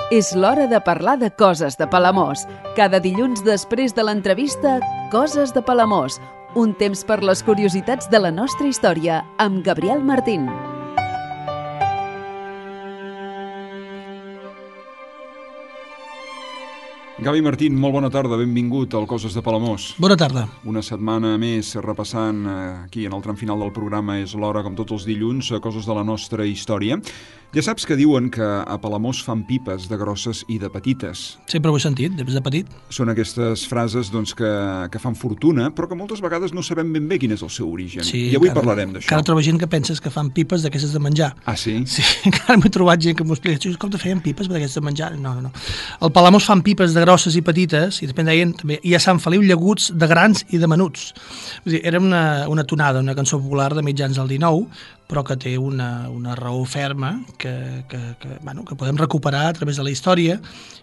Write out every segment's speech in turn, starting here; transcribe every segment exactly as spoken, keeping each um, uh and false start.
És l'hora de parlar de coses de Palamós. Cada dilluns després de l'entrevista, Coses de Palamós. Un temps per les curiositats de la nostra història, amb Gabriel Martín. Gavi Martín, molt bona tarda, benvingut al Coses de Palamós. Bona tarda. Una setmana més repassant aquí en el tram final del programa. És l'hora, com tots els dilluns, a Coses de la nostra història. Ja saps que diuen que a Palamós fan pipes de grosses i de petites. Sempre ho he sentit, des de petit. Són aquestes frases doncs, que, que fan fortuna, però que moltes vegades no sabem ben bé quin és el seu origen. Sí, I avui encara, parlarem d'això. Encara trobo gent que penses que fan pipes d'aquestes de menjar. Ah, sí? Sí, encara m'he trobat gent que m'ho explica. Com te feien pipes d'aquestes de menjar? No, no, no. El Palamós fan pipes de grosses i petites, i després deien, també, i a Sant Feliu llaguts de grans i de menuts. Vull dir, era una, una tonada, una cançó popular de mitjans del dinou, però que té una, una raó ferma que, que, que, bueno, que podem recuperar a través de la història,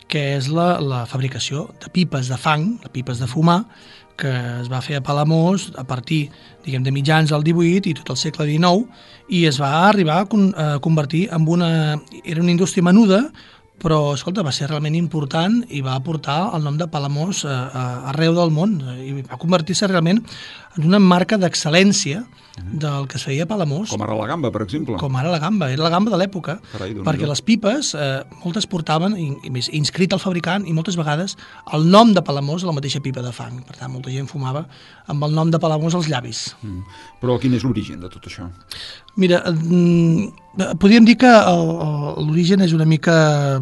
que és la, la fabricació de pipes de fang, de pipes de fumar, que es va fer a Palamós a partir, diguem, de mitjans del divuit i tot el segle dinou, i es va arribar a, con, a convertir en una... Era una indústria menuda, però, escolta, va ser realment important i va aportar el nom de Palamós a, a, arreu del món, i va convertir-se realment en una marca d'excel·lència del que es feia a Palamós. Com ara la gamba, per exemple. Com ara la gamba, era la gamba de l'època, perquè les pipes, eh, moltes portaven, i, i més, inscrit al fabricant, i moltes vegades el nom de Palamós a la mateixa pipa de fang. Per tant, molta gent fumava amb el nom de Palamós als llavis. Mm. Però quin és l'origen de tot això? Mira, eh, podríem dir que l'origen és una mica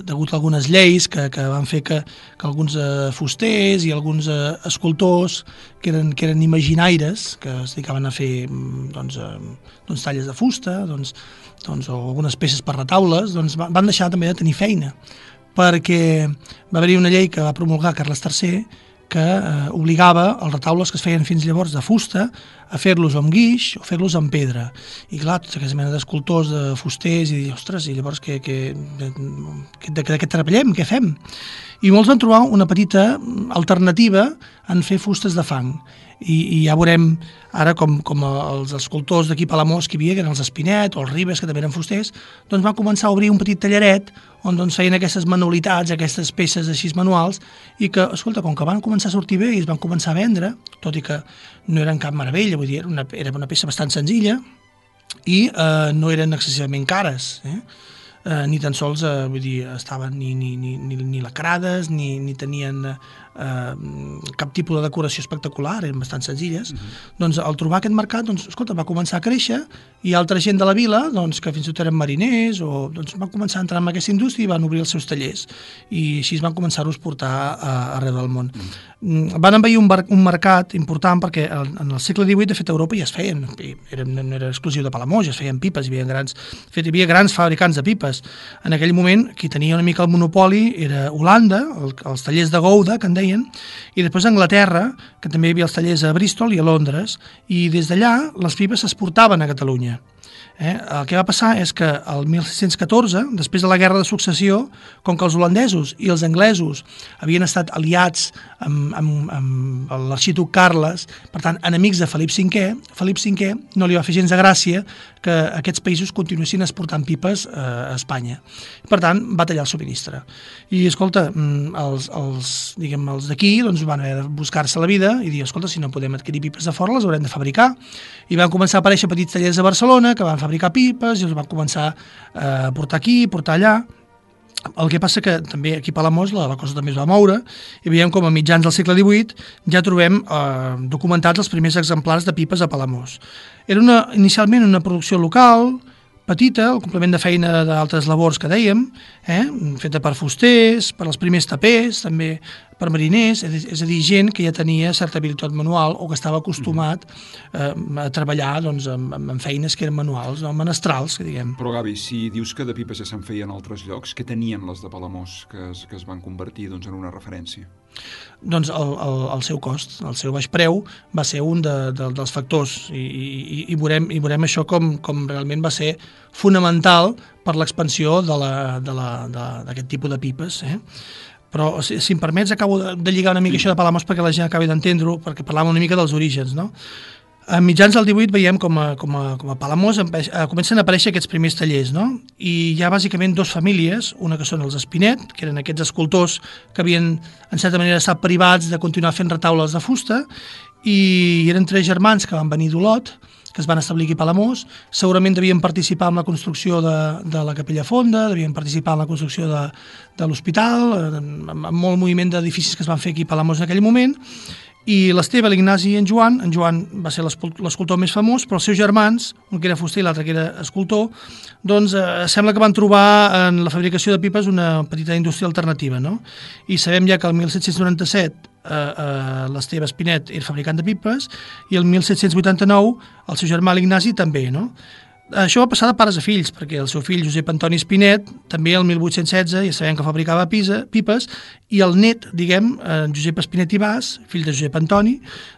degut a algunes lleis que, que van fer que, que alguns eh, fusters i alguns eh, escultors que eren, que eren imaginaires, que es dedicaven a fer doncs, eh, doncs, talles de fusta doncs, doncs, o algunes peces per retaules, doncs, van deixar també de tenir feina, perquè va haver-hi una llei que va promulgar Carles tercer que eh, obligava els retaules que es feien fins llavors de fusta a fer-los amb guix o fer-los amb pedra. I clar, tota aquesta mena d'escultors, de fusters, i dir, ostres, i llavors què, què, de, de, de què treballem, què fem? I molts van trobar una petita alternativa en fer fustes de fang. I, i ja veurem ara com, com els escultors d'aquí a Palamós que hi havia, que eren els Espinet o els Ribes, que també eren fusters, doncs van començar a obrir un petit tallaret on doncs, feien aquestes manualitats, aquestes peces així manuals, i que, escolta, com que van començar a sortir bé i es van començar a vendre, tot i que no eren cap meravella, vull dir, era una, era una peça bastant senzilla i eh, no eren excessivament cares, eh? Eh, ni tan sols eh, vull dir, estaven ni, ni, ni, ni, ni lacrades, ni, ni tenien eh, cap tipus de decoració espectacular, eren bastant senzilles. Uh-huh. Doncs al trobar aquest mercat, doncs, escolta, va començar a créixer, i altra gent de la vila, doncs, que fins i tot eren mariners, o, doncs, van començar a entrar en aquesta indústria i van obrir els seus tallers, i així van començar a portar a, arreu del món. Uh-huh. Van envair un, bar, un mercat important perquè en el segle divuit, de fet, a Europa ja es feien, era, no era exclusiu de Palamós, ja es feien pipes, hi havia grans, fet, hi havia grans fabricants de pipes. En aquell moment, qui tenia una mica el monopoli era Holanda, el, els tallers de Gouda, que en deien, i després Anglaterra, que també hi havia els tallers a Bristol i a Londres, i des d'allà les pipes s'exportaven a Catalunya. Eh? El que va passar és que el mil sis-cents catorze, després de la Guerra de Successió, com que els holandesos i els anglesos havien estat aliats amb, amb, amb l'arxiduc Carles, per tant, enemics de Felip cinquè, Felip cinquè no li va fer gens de gràcia que aquests països continuessin exportant pipes eh, a Espanya. Per tant, va tallar el subministre. I, escolta, els, els, diguem, els d'aquí doncs, van haver de buscar-se la vida i dir, escolta, si no podem adquirir pipes de fora, les haurem de fabricar. I van començar a aparèixer petits tallers a Barcelona que van fabricar pipes i els van començar a portar aquí, portar allà. El que passa que també aquí a Palamós la, la cosa també es va moure i veiem com a mitjans del segle divuit ja trobem eh, documentats els primers exemplars de pipes a Palamós. Era una, inicialment una producció local, petita, el complement de feina d'altres labors que dèiem, eh, feta per fusters, per als primers tapers, també per mariners, és a dir, gent que ja tenia certa habilitat manual o que estava acostumat eh, a treballar doncs, amb, amb feines que eren manuals, no? Menestrals, que diguem. Però, Gavi, si dius que de pipes ja se'n feien en altres llocs, què tenien les de Palamós que es, que es van convertir doncs, en una referència? Doncs el, el, el seu cost, el seu baix preu va ser un de, de, dels factors i, i, i, veurem, i veurem això com, com realment va ser fonamental per l'expansió d'aquest tipus de pipes, eh? Però, si, si em permets, acabo de, de lligar una mica sí. Això de Palamós perquè la gent acabi d'entendre-ho, perquè parlàvem una mica dels orígens, no? A mitjans del divuit veiem com a, com a, com a Palamós empe- eh, comencen a aparèixer aquests primers tallers, no? I hi ha bàsicament dos famílies, una que són els Espinet, que eren aquests escultors que havien, en certa manera, estat privats de continuar fent retaules de fusta, i eren tres germans que van venir d'Olot, que es van establir aquí a Palamós. Segurament devien participar en la construcció de, de la Capella Fonda, devien participar en la construcció de, de l'hospital, amb, amb molt moviment d'edificis que es van fer aquí a Palamós en aquell moment, i l'Esteve, l'Ignasi i en Joan, en Joan va ser l'escultor més famós, però els seus germans, un que era fuster i l'altre que era escultor, doncs eh, sembla que van trobar en la fabricació de pipes una petita indústria alternativa, no? I sabem ja que el disset noranta-set eh, eh, l'Esteve Espinet era fabricant de pipes i el disset vuitanta-nou el seu germà l'Ignasi també, no? Això va passar de pares a fills, perquè el seu fill Josep Antoni Espinet, també el divuit setze, ja sabem que fabricava pisa, pipes, i el net, diguem, en Josep Espinet i Bas, fill de Josep Antoni,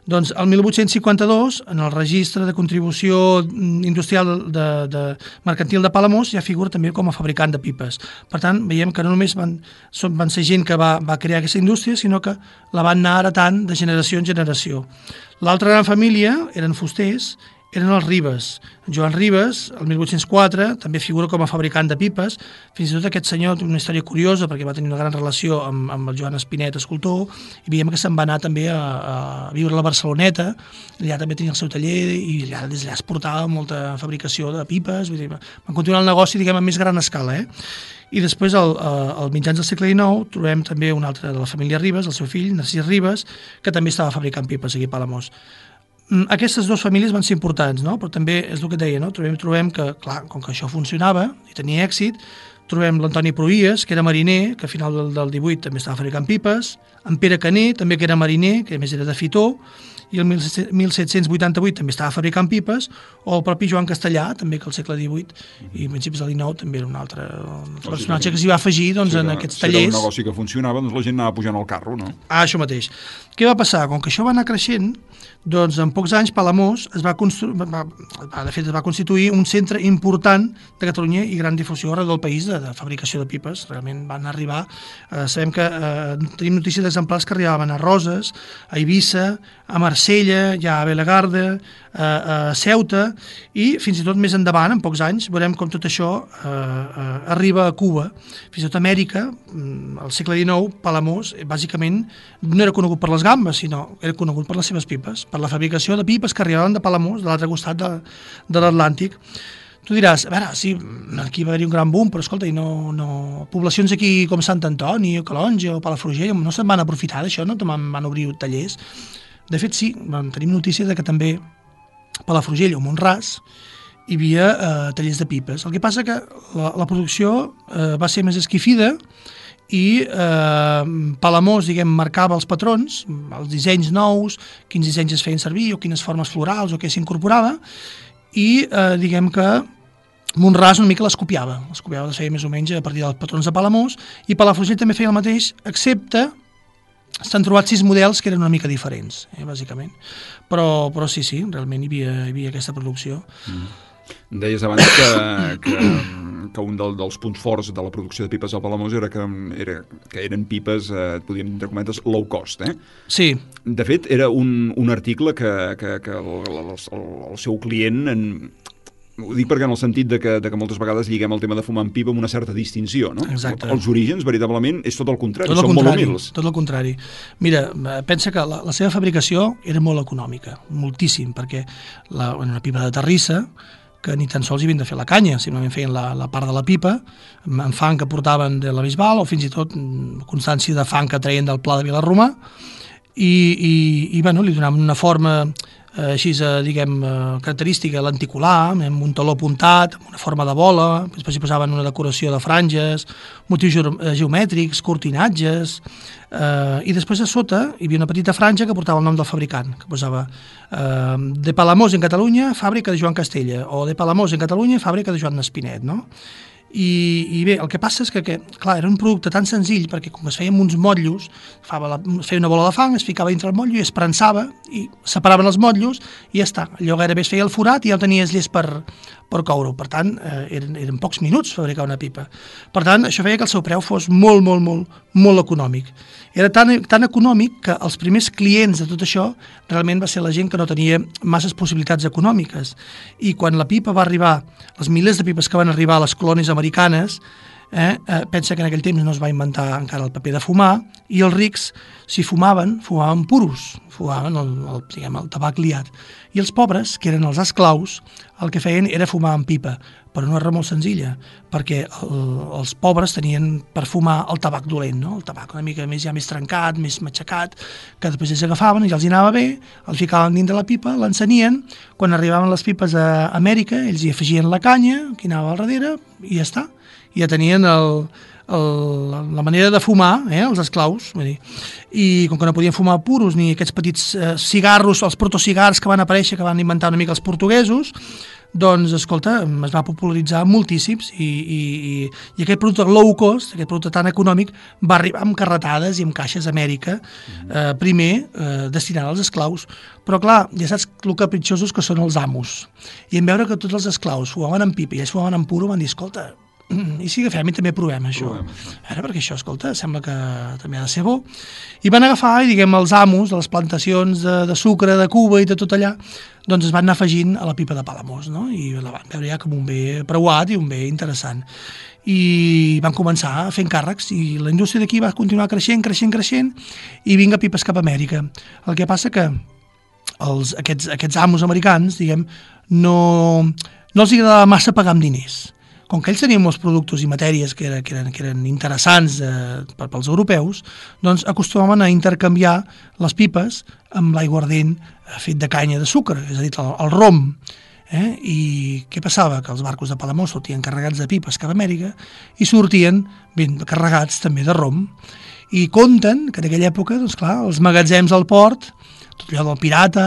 doncs el divuit cinquanta-dos, en el registre de contribució industrial de, de mercantil de Palamós, ja figura també com a fabricant de pipes. Per tant, veiem que no només van, són, van ser gent que va, va crear aquesta indústria, sinó que la van anar heretant de generació en generació. L'altra gran família eren fusters, eren els Ribes. Joan Ribes, el divuit zero quatre, també figura com a fabricant de pipes. Fins i tot aquest senyor té una història curiosa perquè va tenir una gran relació amb, amb el Joan Espinet, escultor, i veiem que se'n va anar també a, a viure a la Barceloneta, allà també tenia el seu taller i allà, des d'allà es portava molta fabricació de pipes, vull dir, van continuar el negoci, diguem, a més gran escala, eh? I després, al, al mitjans del segle dinou, trobem també un altre de la família Ribes, el seu fill, Narcís Ribes, que també estava fabricant pipes aquí a Palamós. Aquestes dues famílies van ser importants, no? Però també és el que et deia, no? Trobem, trobem que, clar, com que això funcionava i tenia èxit, trobem l'Antoni Pruïes, que era mariner, que a final del, del divuit també estava fabricant pipes, en Pere Caner, també que era mariner, que a més era de Fitó, i el disset vuitanta-vuit també estava fabricant pipes, o el propi Joan Castellà, també que al segle divuit i a principis del dinou també era un altre, un altre personatge que s'hi va afegir doncs, sí, en aquests tallers. Si era un negoci que funcionava, doncs la gent anava pujant al carro, no? Ah, això mateix. Què va passar? Com que això va anar creixent, doncs en pocs anys Palamós es va, constru- va, de fet, es va constituir un centre important de Catalunya i gran difusió arreu del país de, de fabricació de pipes. Realment van arribar, eh, sabem que eh, tenim notícies d'exemplars que arribaven a Roses, a Eivissa, a Marsella, ja a Belagarda, a, a Ceuta, i fins i tot més endavant, en pocs anys, veurem com tot això eh, eh, arriba a Cuba. Fins i tot a Amèrica, al segle dinou, Palamós, bàsicament, no era conegut per les gambes, sinó era conegut per les seves pipes, per la fabricació de pipes que arribaven de Palamós, de l'altre costat de, de l'Atlàntic. Tu diràs, a veure, sí, aquí va haver-hi un gran boom, però escolta, i no, no... poblacions aquí com Sant Antoni, o Calonge, o Palafrugell, no se'n van aprofitar d'això, no? Van, van obrir tallers. De fet, sí, tenim notícia de que també a Palafrugell o Mont-ras hi havia eh, tallers de pipes. El que passa que la, la producció eh, va ser més esquifida i eh, Palamós, diguem, marcava els patrons, els dissenys nous, quins dissenys es feien servir o quines formes florals o què s'incorporava, i eh, diguem que Mont-ras una mica les copiava, les copiava, les feia més o menys a partir dels patrons de Palamós, i Palafrugell també feia el mateix, excepte s'han trobat sis models que eren una mica diferents, eh, bàsicament. Però, però sí, sí, realment hi havia, hi havia aquesta producció. Mm. Deies abans que, que, que un del, dels punts forts de la producció de pipes al Palamós era que, era, que eren pipes, eh, podríem entre cometes, low cost, eh? Sí. De fet, era un, un article que, que, que el, el, el, el seu client... En, ho dic perquè en el sentit de que, de que moltes vegades lliguem el tema de fumar amb pipa amb una certa distinció, no? Exacte. Els orígens, veritablement, és tot el contrari, tot el són contrari, molt humils. Tot el contrari. Mira, pensa que la, la seva fabricació era molt econòmica, moltíssim, perquè la, una pipa de terrissa, que ni tan sols hi havien de fer la canya, simplement feien la, la part de la pipa, amb fang que portaven de la Bisbal, o fins i tot constància de fang que treien del Pla de Vilarromà, i, i, i bueno, li donaven una forma... així, diguem, característica, lenticular, amb un taló apuntat, amb una forma de bola, després hi posaven una decoració de franges, motius geomètrics, cortinatges, eh, i després a sota hi havia una petita franja que portava el nom del fabricant, que posava eh, de Palamós en Catalunya, fàbrica de Joan Castella, o de Palamós en Catalunya, fàbrica de Joan Espinet, no? I, i bé, el que passa és que, que, clar, era un producte tan senzill, perquè com es feien uns motllos, la, es feia una bola de fang, es ficava dintre el motllo i es prensava, i separaven els motllos, i ja està. Allò gairebé es feia el forat i ja ho tenies llest per, per coure-ho. Per tant, eh, eren, eren pocs minuts fabricar una pipa. Per tant, això feia que el seu preu fos molt, molt, molt, molt econòmic. Era tan, tan econòmic que els primers clients de tot això realment va ser la gent que no tenia masses possibilitats econòmiques. I quan la pipa va arribar, els milers de pipes que van arribar a les colònies americanes, eh, eh, pensa que en aquell temps no es va inventar encara el paper de fumar, i els rics, si fumaven, fumaven puros, fumaven el, el, diguem, el tabac liat. I els pobres, que eren els esclaus, el que feien era fumar en pipa, per una raó molt senzilla, perquè el, els pobres tenien per fumar el tabac dolent, no? El tabac una mica més ja més trencat, més matxacat, que després ells agafaven i els hi anava bé, el ficaven dins de la pipa, l'encenien, quan arribaven les pipes a Amèrica, ells hi afegien la canya, que anava al darrere, i ja està. Ja tenien el, el, la manera de fumar, eh, els esclaus, vull dir. I com que no podien fumar puros ni aquests petits eh, cigarros, els protocigars que van aparèixer, que van inventar una mica els portuguesos, doncs, escolta, es va popularitzar moltíssims i, i, i, i aquest producte low cost, aquest producte tan econòmic, va arribar amb carretades i amb caixes a Amèrica, eh, primer eh, destinant als esclaus. Però, clar, ja saps el capritxosos que són els amos. I en veure que tots els esclaus fumaven en pipa i ells fumaven en puro, van dir, escolta, i si agafem i també provem això. Provem això. Ara, perquè això, escolta, sembla que també ha de ser bo. I van agafar, i diguem, els amos de les plantacions de, de sucre, de Cuba i de tot allà, doncs es van anar afegint a la pipa de Palamós, no? I la van veure ja com un bé preuat i un bé interessant. I van començar fent càrrecs i la indústria d'aquí va continuar creixent, creixent, creixent i vinga pipes cap a Amèrica. El que passa que els, aquests, aquests amos americans, diguem, no, no els agradava massa pagar amb diners. Com que ells tenien molts productes i matèries que, era, que, eren, que eren interessants eh, per, pels europeus, doncs acostumaven a intercanviar les pipes amb l'aiguardent eh, fet de canya de sucre, és a dir, el, el rom. Eh? I què passava? Que els barcos de Palamós sortien carregats de pipes cap a Amèrica i sortien ben carregats també de rom. I conten que en aquella època, doncs clar, els magatzems al port, tot allò del Pirata,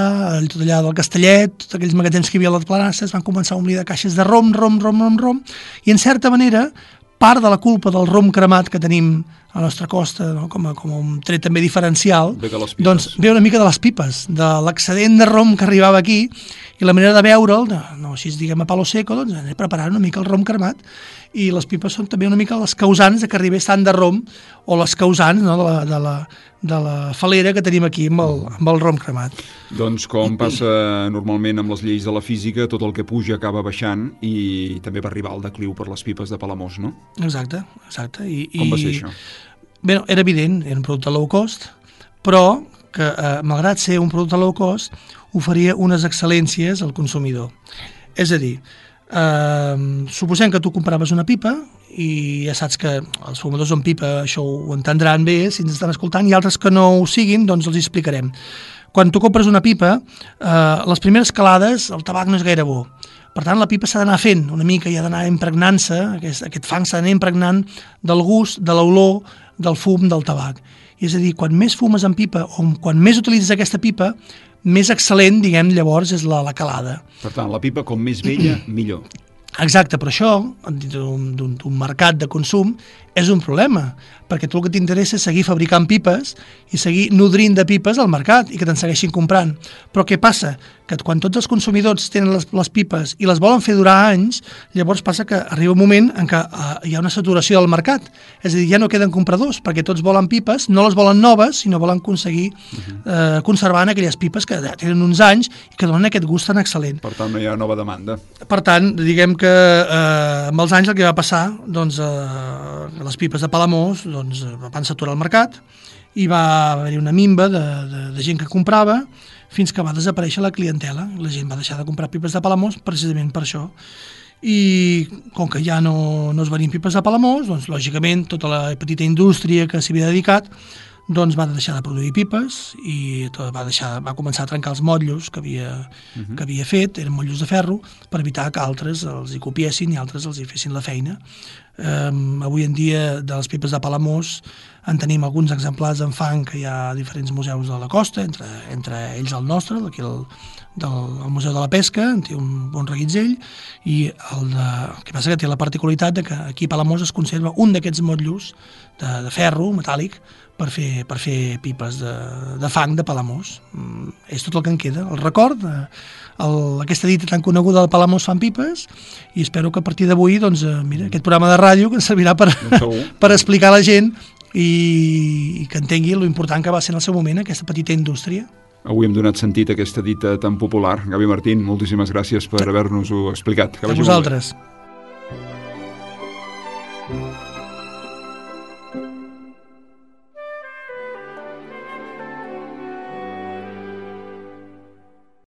tot allò del Castellet, tots aquells magatzems que hi havia a les planasses, van començar a omplir de caixes de rom, rom, rom, rom, rom, i en certa manera, part de la culpa del rom cremat que tenim a la nostra costa, no? com, a, com un tret també diferencial, doncs ve una mica de les pipes, de l'excedent de rom que arribava aquí, i la manera de veure'l, no així diguem a palo seco, doncs anem preparant una mica el rom cremat, i les pipes són també una mica les causants de que arribés tant de rom, o les causants, no? de, la, de, la, de la falera que tenim aquí amb el, amb el rom cremat. Doncs com passa normalment amb les lleis de la física, tot el que puja acaba baixant i també va arribar al decliu per les pipes de Palamós, no? Exacte, exacte. I, com va ser això? Bé, era evident, era un producte low cost, però que, eh, malgrat ser un producte low cost, oferia unes excel·lències al consumidor. És a dir, eh, suposem que tu compraves una pipa i ja saps que els fumadors amb pipa això ho entendran bé si ens estan escoltant, i altres que no ho siguin, doncs els hi explicarem. Quan tu compres una pipa, eh, les primeres calades el tabac no és gaire bo. Per tant, la pipa s'ha d'anar fent una mica i ha d'anar impregnant-se, aquest, aquest fang s'ha d'anar impregnant del gust, de l'olor, del fum del tabac. I és a dir, quan més fumes en pipa o quan més utilitzes aquesta pipa, més excel·lent, diguem, llavors és la, la calada. Per tant, la pipa com més vella, millor. Exacte, però això, d'un mercat de consum, és un problema, perquè tu el que t'interessa és seguir fabricant pipes i seguir nodrint de pipes al mercat i que te'n segueixin comprant. Però què passa? Que quan tots els consumidors tenen les, les pipes i les volen fer durar anys, llavors passa que arriba un moment en què uh, hi ha una saturació del mercat. És a dir, ja no queden compradors, perquè tots volen pipes, no les volen noves, sinó volen aconseguir uh, conservant aquelles pipes que tenen uns anys i que donen aquest gust tan excel·lent. Per tant, no hi ha nova demanda. Per tant, diguem que uh, amb els anys el que va passar, doncs, uh, les pipes de Palamós doncs, van saturar el mercat i va haver-hi una minva de, de, de gent que comprava fins que va desaparèixer la clientela. La gent va deixar de comprar pipes de Palamós precisament per això. I com que ja no, no es venien pipes de Palamós, doncs lògicament tota la petita indústria que s'hi havia dedicat doncs va deixar de produir pipes i tot va, deixar, va començar a trencar els motllos que havia, uh-huh. que havia fet, eren motllos de ferro, per evitar que altres els hi copiessin i altres els hi fessin la feina. Eh, avui en dia, de les pipes de Palamós, en tenim alguns exemplars en fang que hi ha a diferents museus de la costa, entre, entre ells el nostre, d'aquí el, del el Museu de la Pesca, en té un bon reguitzell, i el, de, el que passa que té la particularitat de que aquí a Palamós es conserva un d'aquests motllos de, de ferro metàl·lic per fer, per fer pipes de, de fang de Palamós. Mm, és tot el que en queda, el record de, el, aquesta dita tan coneguda de Palamós fan pipes, i espero que a partir d'avui, doncs, eh, mira, aquest programa de ràdio que ens servirà per, per explicar a la gent i, i que entengui lo important que va ser en el seu moment aquesta petita indústria. Avui hem donat sentit a aquesta dita tan popular. Gavi Martín, moltíssimes gràcies per haver-nos-ho explicat. Que a vosaltres.